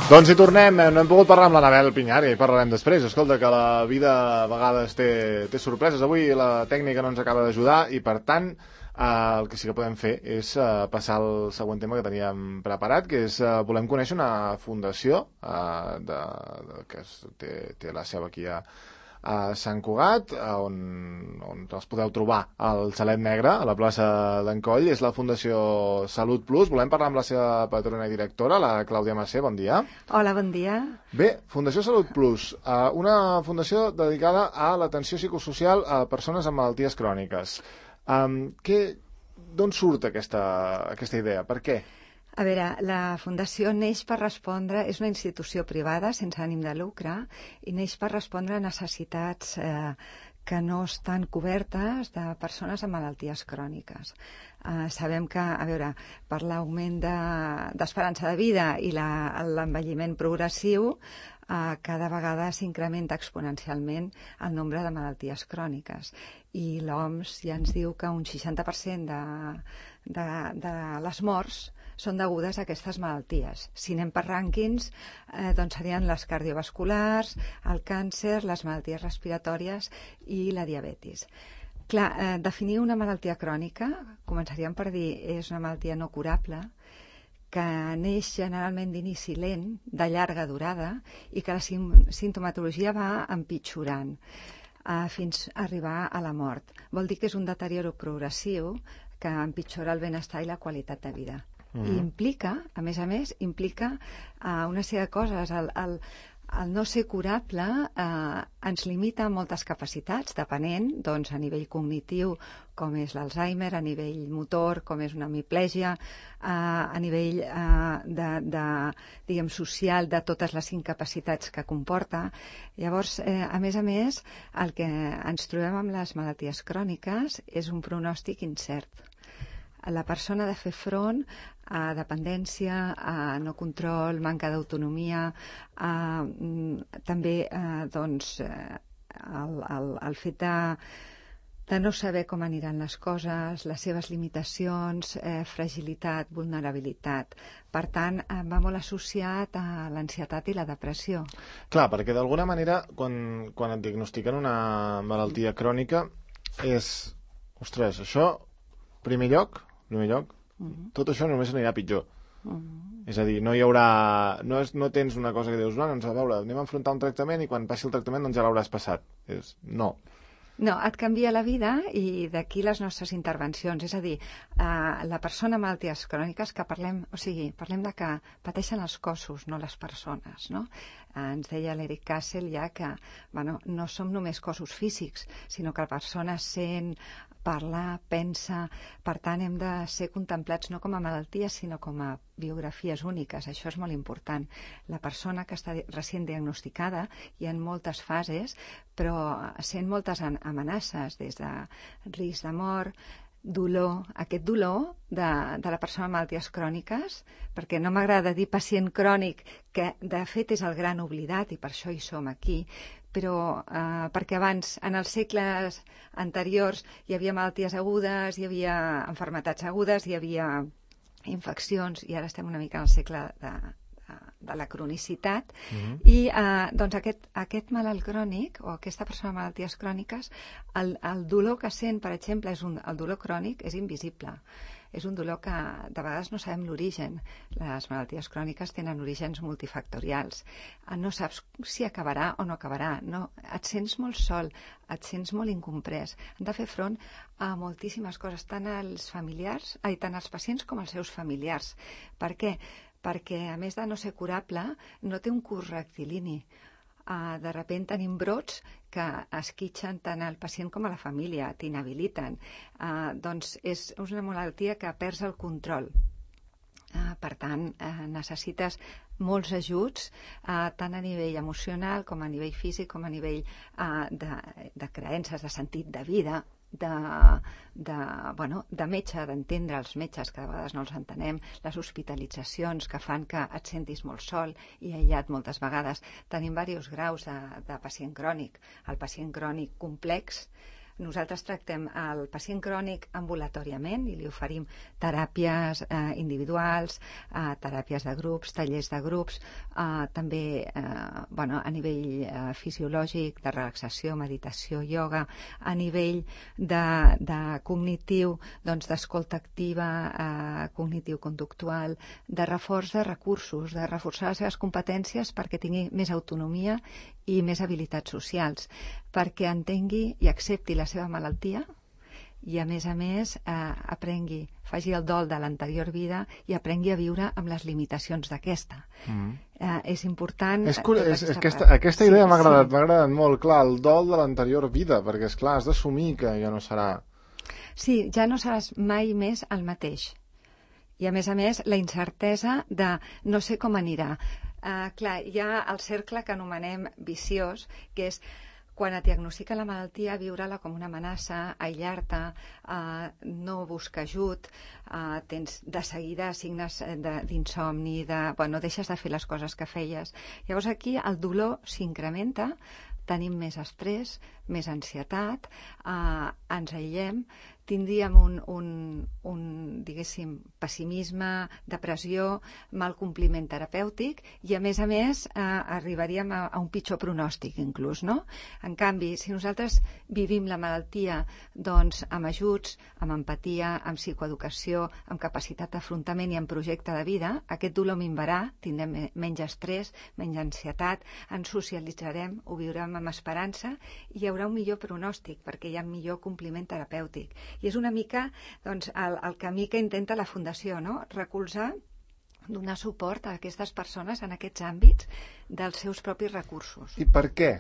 Doncs hi tornem, no hem pogut parlar amb l'Anabel Pinyar i parlarem després. Escolta, que la vida a vegades té sorpreses. Avui la tècnica no ens acaba d'ajudar i, per tant, el que sí que podem fer és passar al següent tema que teníem preparat, que és volem conèixer una fundació que té la seu aquí a Sant Cugat, on els podeu trobar al Xalet Negre, a la plaça d'en Coll. És la Fundació Salut Plus. Volem parlar amb la seva patrona i directora, la Clàudia Massé. Bon dia. Hola, bon dia. Bé, Fundació Salut Plus, una fundació dedicada a l'atenció psicosocial a persones amb malalties cròniques. D'on surt aquesta idea? Per què? A veure, la Fundació neix per respondre, és una institució privada sense ànim de lucre i neix per respondre a necessitats que no estan cobertes de persones amb malalties cròniques. Sabem que, a veure, per l'augment d'esperança de vida i l'envelliment progressiu, cada vegada s'incrementa exponencialment el nombre de malalties cròniques. I l'OMS ja ens diu que un 60% de les morts són degudes a aquestes malalties. Si anem per rànquings, doncs serien les cardiovasculars, el càncer, les malalties respiratòries i la diabetis. Clar, definir una malaltia crònica, començaríem per dir, és una malaltia no curable, que neix generalment d'inici lent, de llarga durada, i que la simptomatologia va empitjorant fins a arribar a la mort. Vol dir que és un deterioro progressiu que empitjora el benestar i la qualitat de vida. I implica, a més, implica una sèrie de coses. El no ser curable ens limita a moltes capacitats, depenent, doncs, a nivell cognitiu, com és l'Alzheimer, a nivell motor, com és una hemiplegia, a nivell diguem, social, de totes les incapacitats que comporta. Llavors, a més, el que ens trobem amb les malalties cròniques és un pronòstic incert. La persona ha de fer front a dependència, a no control, manca d'autonomia, també doncs, el fet de no saber com aniran les coses, les seves limitacions, fragilitat, vulnerabilitat. Per tant, va molt associat a l'ansietat i la depressió. Clar, perquè d'alguna manera, quan et diagnostiquen una malaltia crònica, és, ostres, això, primer lloc, tot això només anirà pitjor. És a dir, no hi haurà... No tens una cosa que dius, doncs a veure, anem a enfrontar un tractament i quan passi el tractament doncs ja l'hauràs passat. No. No, et canvia la vida i d'aquí les nostres intervencions. És a dir, la persona amb malalties cròniques que parlem de que pateixen els cossos, no les persones, no? Ens deia l'Eric Kassel ja que no som només cossos físics, sinó que la persona sent, parla, pensa. Per tant, hem de ser contemplats no com a malalties, sinó com a biografies úniques. Això és molt important. La persona que està recient diagnosticada hi ha moltes fases, però sent moltes amenaces, des de risc de mort, dolor, aquest dolor de la persona amb malalties cròniques, perquè no m'agrada dir pacient crònic, que de fet és el gran oblidat i per això hi som aquí, però perquè abans, en els segles anteriors, hi havia malalties agudes, hi havia malalties agudes, hi havia infeccions, i ara estem una mica en el segle de la cronicitat, i doncs aquest malalt crònic o aquesta persona amb malalties cròniques, el dolor que sent, per exemple, el dolor crònic és invisible. És un dolor que de vegades no sabem l'origen. Les malalties cròniques tenen orígens multifactorials. No saps si acabarà o no acabarà. No, et sents molt sol, et sents molt incomprès. Han de fer front a moltíssimes coses, tant els pacients com els seus familiars. Per què? Perquè, a més de no ser curable, no té un curs rectilini. De sobte tenim brots que esquitxen tant al pacient com a la família, t'inhabiliten. Doncs és una malaltia que perds el control. Per tant, necessites molts ajuts, tant a nivell emocional com a nivell físic, com a nivell de creences, de sentit de vida, de metge, d'entendre els metges, que de vegades no els entenem, les hospitalitzacions que fan que et sentis molt sol i aïllat moltes vegades. Tenim diversos graus de pacient crònic. El pacient crònic complex, Nosaltres tractem el pacient crònic ambulatòriament i li oferim teràpies individuals, teràpies de grups, tallers de grups, també a nivell fisiològic, de relaxació, meditació, ioga, a nivell de cognitiu, doncs d'escolta activa, cognitiu-conductual, de reforç de recursos, de reforçar les seves competències perquè tingui més autonomia i més habilitats socials, perquè entengui i accepti la seva malaltia i, a més, aprengui, faci el dol de l'anterior vida i aprengui a viure amb les limitacions d'aquesta. És important... Aquesta idea m'ha agradat molt, clar, el dol de l'anterior vida, perquè, esclar, has d'assumir que ja no serà... Sí, ja no seràs mai més el mateix. I, a més, la incertesa de no sé com anirà. Clar, hi ha el cercle que anomenem viciós, que és quan et diagnostica la malaltia, viure-la com una amenaça, aïllar-te, no buscar ajut, tens de seguida signes d'insomni, deixes de fer les coses que feies. Llavors aquí el dolor s'incrementa, tenim més estrès, més ansietat, ens aïllem, tindríem diguéssim, pessimisme, depressió, mal compliment terapèutic i, a més, arribaríem a un pitjor pronòstic, inclús, no? En canvi, si nosaltres vivim la malaltia doncs, amb ajuts, amb empatia, amb psicoeducació, amb capacitat d'afrontament i amb projecte de vida, aquest dolor minvarà, tindrem menys estrès, menys ansietat, ens socialitzarem, ho viurem amb esperança i hi haurà un millor pronòstic perquè hi ha millor compliment terapèutic. I és una mica doncs, el camí que intenta la Fundació, no? Recolzar, donar suport a aquestes persones en aquests àmbits dels seus propis recursos. I per què?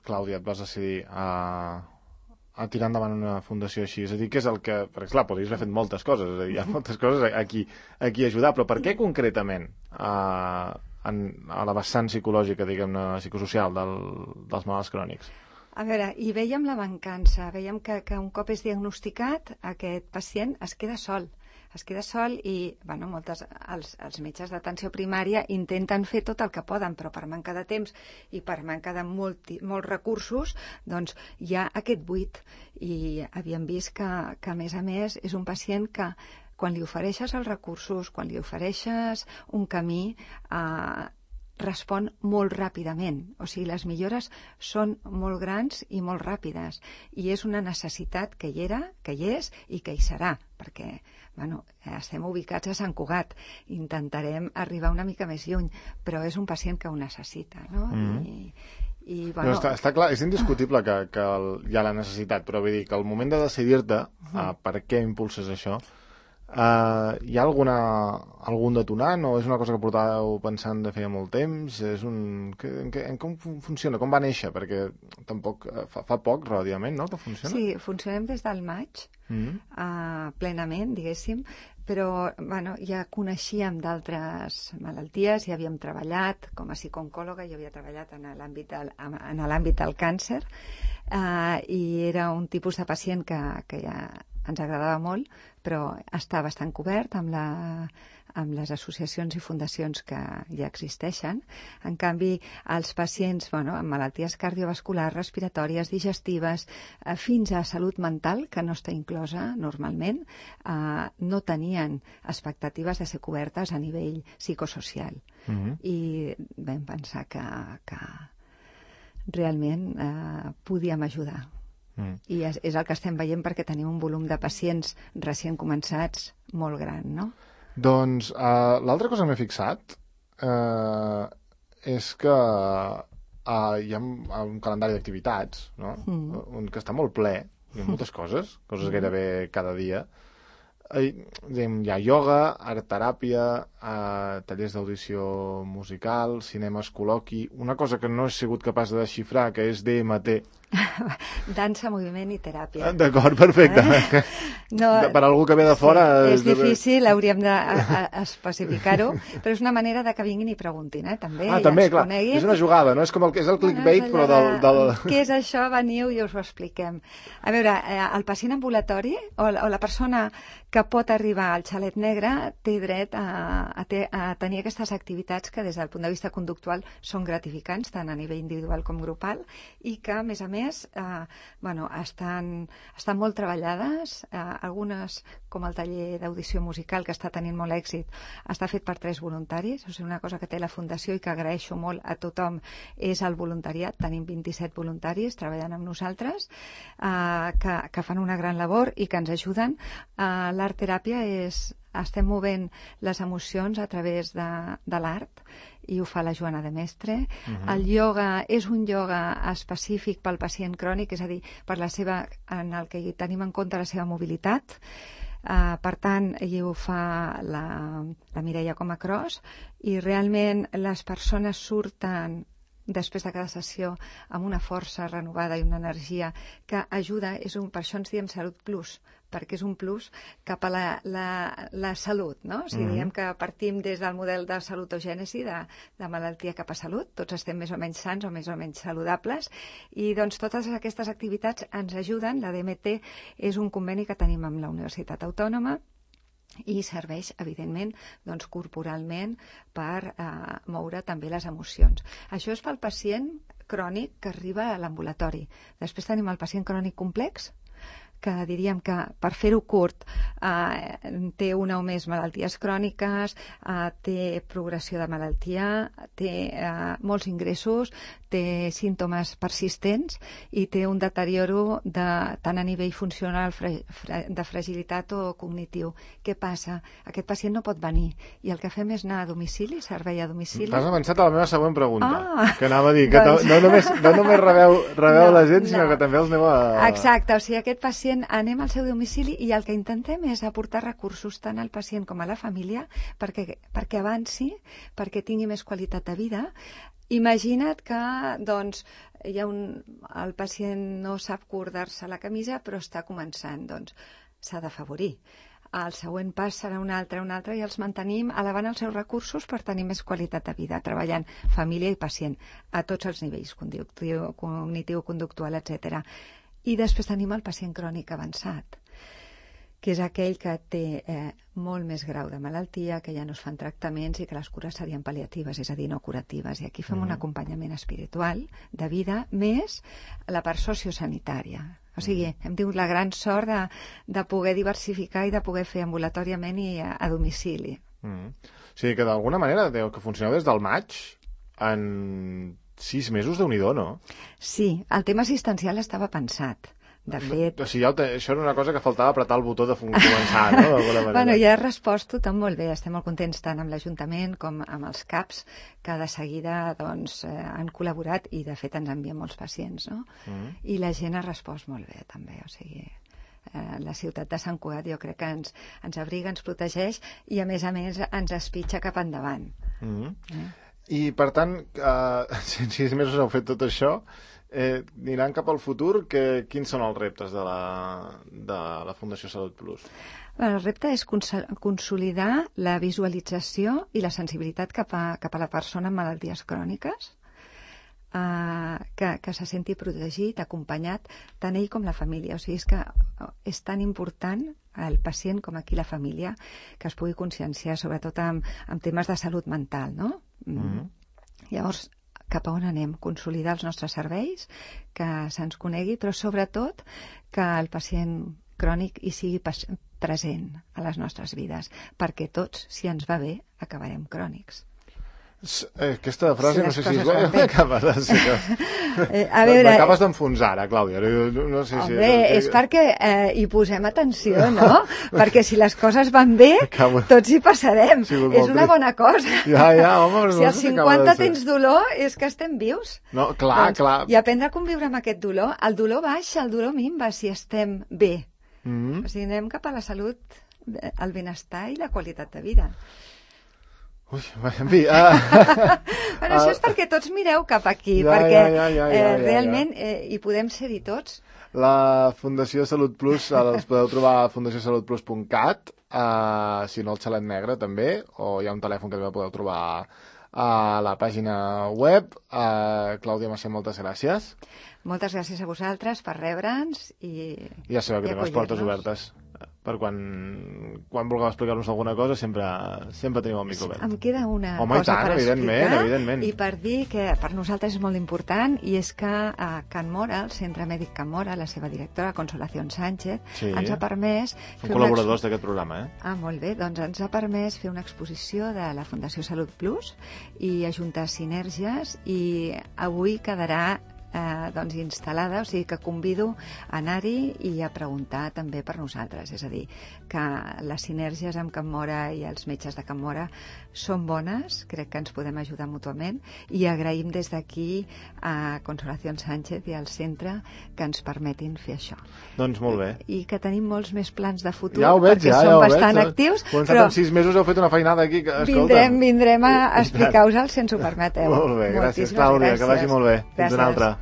Clàudia, et vas decidir a tirar endavant una fundació així? És a dir, què és el que... Perquè, clar, podries haver fet moltes coses, és a dir, hi ha moltes coses a qui ajudar, però per què concretament a la vessant psicològica, diguem-ne, psicosocial dels malalts crònics? A veure, hi veiem la mancança, veiem que un cop és diagnosticat, aquest pacient es queda sol i els metges d'atenció primària intenten fer tot el que poden, però per manca de temps i per manca de molts recursos, doncs hi ha aquest buit. I havíem vist que a més, és un pacient que quan li ofereixes els recursos, quan li ofereixes un camí, respon molt ràpidament. O sigui, les millores són molt grans i molt ràpides. I és una necessitat que hi era, que hi és i que hi serà, perquè estem ubicats a Sant Cugat. Intentarem arribar una mica més lluny, però és un pacient que ho necessita, no? No, està clar, és indiscutible que hi ha la necessitat, però vull dir que al moment de decidir-te per què impulses això, hi ha algun detonant o és una cosa que portàveu pensant de feia molt temps? Com funciona? Com va néixer? Perquè tampoc fa poc, relativament, no?, que funciona? Sí, funcionem des del maig, plenament, diguéssim, però ja coneixíem d'altres malalties, ja havíem treballat com a psicooncòloga, jo havia treballat en l'àmbit del càncer, i era un tipus de pacient que ja ens agradava molt, però està bastant cobert amb les associacions i fundacions que ja existeixen. En canvi, els pacients amb malalties cardiovasculars, respiratòries, digestives, fins a salut mental, que no està inclosa normalment, no tenien expectatives de ser cobertes a nivell psicosocial. I vam pensar que realment podíem ajudar. I és el que estem veient perquè tenim un volum de pacients recient començats molt gran, no? Doncs l'altra cosa que m'he fixat és que hi ha un calendari d'activitats, no? Que està molt ple, hi ha moltes coses gairebé cada dia. Hi ha ioga, art-teràpia, tallers d'audició musical, cinemes, col·loqui, una cosa que no he sigut capaç de desxifrar, que és DMT, Dansa, moviment i teràpia. D'acord, perfecte. No, per algú que ve de fora... És difícil, hauríem d'especificar-ho, però és una manera de que vinguin i preguntin, també. També, clar, és una jugada, no? És com és el clickbait, però del... Què és això? Veniu i us ho expliquem. A veure, el pacient ambulatori o la persona que pot arribar al xalet negre té dret a tenir aquestes activitats que des del punt de vista conductual són gratificants, tant a nivell individual com grupal, i que, a més, estan molt treballades. Algunes, com el taller d'audició musical, que està tenint molt èxit, està fet per 3 voluntaris. O sigui, una cosa que té la Fundació i que agraeixo molt a tothom és el voluntariat. Tenim 27 voluntaris treballant amb nosaltres que fan una gran labor i que ens ajuden. L'art-teràpia estem movent les emocions a través de l'art i ho fa la Joana de Mestre. El ioga és un ioga específic pel pacient crònic, és a dir, en el que tenim en compte la seva mobilitat. Per tant, i ho fa la Mireia Comacros, i realment les persones surten després de cada sessió amb una força renovada i una energia que ajuda. Per això ens diem Salut Plus, perquè és un plus cap a la salut, no? O sigui, diem que partim des del model de salutogènesi, de malaltia cap a salut. Tots estem més o menys sants o més o menys saludables, i doncs totes aquestes activitats ens ajuden. La DMT és un conveni que tenim amb la Universitat Autònoma i serveix, evidentment, corporalment per moure també les emocions. Això és pel pacient crònic que arriba a l'ambulatori. Després tenim el pacient crònic complex, que diríem que, per fer-ho curt, té una o més malalties cròniques, té progressió de malaltia, té molts ingressos, té símptomes persistents i té un deterioro tant a nivell funcional, de fragilitat o cognitiu. Què passa? Aquest pacient no pot venir i el que fem és anar a domicili, servei a domicili. T'has avançat a la meva següent pregunta, que anava a dir, que no només rebeu la gent, sinó que també els aneu a... Exacte, o sigui, aquest pacient anem al seu domicili i el que intentem és aportar recursos tant al pacient com a la família perquè avanci, perquè tingui més qualitat de vida. Imagina't que el pacient no sap cordar-se la camisa però està començant, s'ha d'afavorir. El següent pas serà un altre, i els mantenim elevant els seus recursos per tenir més qualitat de vida, treballant família i pacient a tots els nivells, cognitiu, conductual, etc. I després tenim el pacient crònic avançat, que és aquell que té molt més grau de malaltia, que ja no es fan tractaments i que les cures serien pal·liatives, és a dir, no curatives. I aquí fem un acompanyament espiritual de vida més la part sociosanitària. O sigui, hem tingut la gran sort de poder diversificar i de poder fer ambulatòriament i a domicili. O sigui que d'alguna manera que funcioneu des del maig, en 6 mesos, Déu-n'hi-do, no? Sí, el tema assistencial estava pensat. De fet... O sigui, això era una cosa que faltava apretar el botó de començar, no? Bueno, ja has respost tothom molt bé. Estem molt contents tant amb l'Ajuntament com amb els CAPs, que de seguida han col·laborat i, de fet, ens envien molts pacients, no? I la gent ha respost molt bé, també. O sigui, la ciutat de Sant Cugat jo crec que ens abriga, ens protegeix i, a més, ens espitxa cap endavant. I, per tant, si en 6 mesos heu fet tot això, aniran cap al futur, quins són els reptes de la Fundació Salut Plus? El repte és consolidar la visualització i la sensibilitat cap a la persona amb malalties cròniques, que se senti protegit, acompanyat, tant ell com la família. O sigui, és que és tan important el pacient com aquí la família que es pugui conscienciar, sobretot amb temes de salut mental, no? Llavors, cap a on anem? Consolidar els nostres serveis, que se'ns conegui, però sobretot que el pacient crònic hi sigui present a les nostres vides, perquè tots, si ens va bé, acabarem crònics. Aquesta frase no sé si és bona. M'acabes d'enfonsar ara, Clàudia. No sé si... Home, és perquè hi posem atenció, no? Perquè si les coses van bé, tots hi passarem. És una bona cosa. Ja, home. Si als 50 tens dolor, és que estem vius. No, clar. I aprendre a conviure amb aquest dolor. El dolor baixa, el dolor minva, si estem bé. O sigui, anem cap a la salut, el benestar i la qualitat de vida. Ui, en fi... Bueno, això és perquè tots mireu cap aquí, perquè realment hi podem ser-hi tots. La Fundació Salut Plus els podeu trobar a fundaciosalutplus.cat, si no el xalet negre també, o hi ha un telèfon que també podeu trobar a la pàgina web. Clàudia Macià, moltes gràcies. Moltes gràcies a vosaltres per rebre'ns i ja sabeu que tenim les portes obertes per quan vulgueu explicar-nos alguna cosa sempre tenim el micro obert. Em queda una cosa per explicar evidentment. I per dir que per nosaltres és molt important, i és que a Can Móra, el Centre Mèdic Can Móra, la seva directora, Consolación Sánchez, ens ha permès... Són col·laboradors d'aquest programa, molt bé, doncs ens ha permès fer una exposició de la Fundació Salut Plus i ajuntar sinergies, i avui quedarà instal·lada, o sigui que convido a anar-hi i a preguntar també per nosaltres, és a dir, que les sinergies amb Can Móra i els metges de Can Móra són bones, crec que ens podem ajudar mútuament, i agraïm des d'aquí a Consolación Sánchez i al centre que ens permetin fer això. Doncs molt bé. I que tenim molts més plans de futur, ja ho veig, perquè som bastant actius. Començat en 6 mesos heu fet una feinada aquí. Vindrem a explicar-vos-el si ens ho permeteu. Molt bé, gràcies Clàudia, que vagi molt bé. Fins una altra.